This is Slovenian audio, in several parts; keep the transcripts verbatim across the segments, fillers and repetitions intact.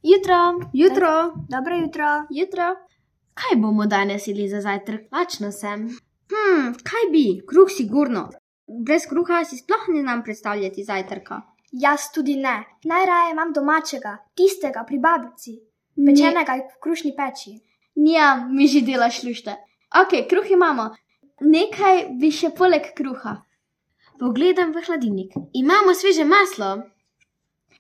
Jutro. Jutro. Dobro jutro. Jutro. Kaj bomo danes jedli za zajtrk? Lačna sem. Hm, kaj bi? Kruh sigurno. Brez kruha si sploh ne znam predstavljati zajtrka. Jaz tudi ne. Najraje imam domačega, tistega pri babici, pečenega v krušni peči. Nja, mi že delaš lušte. Ok, kruh imamo. Nekaj bi še poleg kruha. Pogledam v hladilnik. Imamo sveže maslo.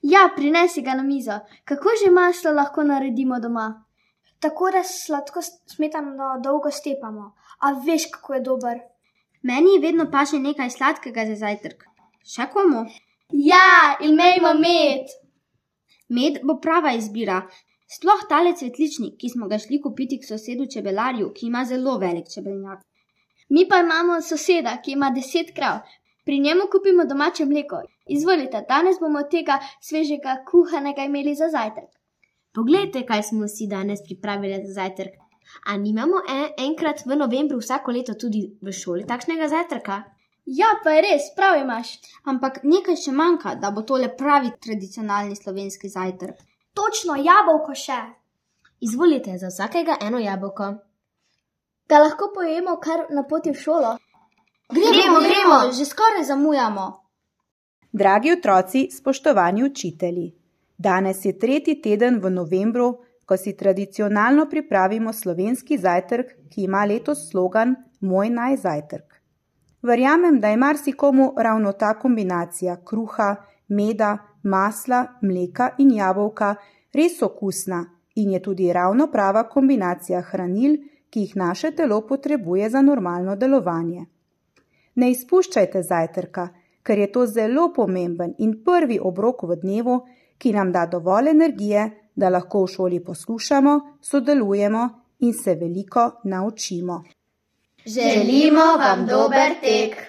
Ja, prinesi ga na mizo. Kako že maslo lahko naredimo doma? Tako da sladko smetano dolgo stepamo. A veš, kako je dober? Meni vedno paše nekaj sladkega za zajtrk. Še komu? Ja, imejmo med. Med bo prava izbira. Sploh tale cvetličnik, ki smo ga šli kupiti k sosedu čebelarju, ki ima zelo velik čebelnjak. Mi pa imamo soseda, ki ima deset krav. Pri njemu kupimo domače mleko. Izvolite, danes bomo tega svežega kuhanega imeli za zajtrk. Poglejte, kaj smo si danes pripravili za zajtrk. A nimamo en, enkrat v novembru vsako leto tudi v šoli takšnega zajtrka? Ja, pa je res, prav imaš. Ampak nekaj še manjka, da bo tole pravi tradicionalni slovenski zajtrk. Točno, jabolko še. Izvolite, za vsakega eno jabolko. Da lahko pojemo kar na poti v šolo? Gremo, gremo, gremo, že skoraj zamujamo. Dragi otroci, spoštovani učitelji, danes je tretji teden v novembru, ko si tradicionalno pripravimo slovenski zajtrk, ki ima letos slogan Moj naj zajtrk. Verjamem, da je marsikomu ravno ta kombinacija kruha, meda, masla, mleka in jabolka res okusna in je tudi ravno prava kombinacija hranil, ki jih naše telo potrebuje za normalno delovanje. Ne izpuščajte zajtrka, ker je to zelo pomemben in prvi obrok v dnevu, ki nam da dovolj energije, da lahko v šoli poslušamo, sodelujemo in se veliko naučimo. Želimo vam dober tek!